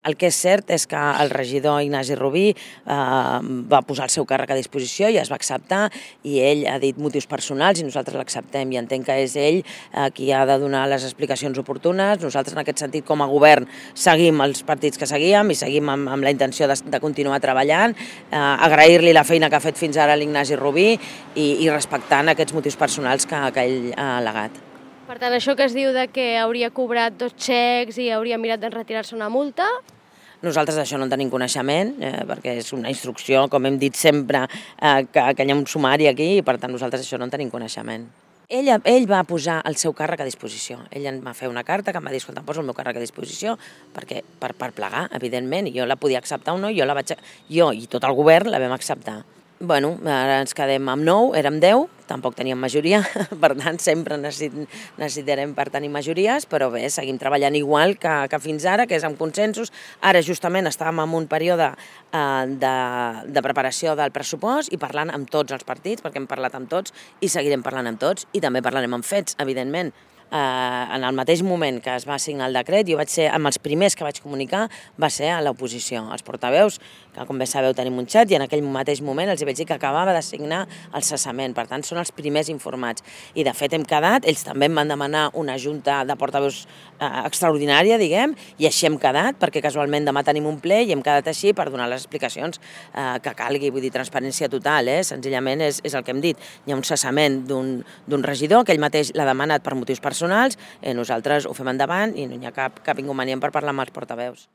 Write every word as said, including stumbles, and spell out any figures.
El que és cert és que el regidor Ignasi Rubí eh, va posar el seu càrrec a disposició i es va acceptar, i ell ha dit motius personals i nosaltres l'acceptem, i entenc que és ell eh, qui ha de donar les explicacions oportunes. Nosaltres en aquest sentit com a govern seguim els partits que seguíem i seguim amb, amb la intenció de, de continuar treballant, eh, agrair-li la feina que ha fet fins ara l'Ignasi Rubí i, i respectant aquests motius personals que, que ell ha al·legat. Per tant, això que es diu de que hauria cobrat dos xecs i hauria mirat de retirar-se una multa... Nosaltres d'això no en tenim coneixement, eh, perquè és una instrucció, com hem dit sempre, eh, que, que hi ha un sumari aquí, i per tant nosaltres això no en tenim coneixement. Ell, ell va posar el seu càrrec a disposició. Ell em va fer una carta que em va dir, escolta, em poso el meu càrrec a disposició perquè, per, per plegar, evidentment, i jo la podia acceptar o no, jo, la vaig, jo i tot el govern la vam acceptar. Bueno, ara ens quedem amb nou, érem deu, tampoc teníem majoria, per tant sempre necessitarem per tenir majories, però bé, seguim treballant igual que, que fins ara, que és amb consensos. Ara justament estàvem en un període eh, de, de preparació del pressupost i parlant amb tots els partits, perquè hem parlat amb tots i seguirem parlant amb tots, i també parlarem amb fets, evidentment. Eh, en el mateix moment que es va signar el decret, jo vaig ser, amb els primers que vaig comunicar, va ser a l'oposició, els portaveus, que com bé sabeu tenim un xat, i en aquell mateix moment els vaig dir que acabava de signar el cessament, per tant són els primers informats. I de fet hem quedat, ells també em van demanar una junta de portaveus eh, extraordinària, diguem, i així hem quedat, perquè casualment demà tenim un ple i hem quedat així per donar les explicacions eh, que calgui, vull dir, transparència total, eh? Senzillament és, és el que hem dit. Hi ha un cessament d'un regidor, que ell mateix l'ha demanat per motius personals, eh, nosaltres ho fem endavant i no hi ha cap, cap inconvenient per parlar amb els portaveus.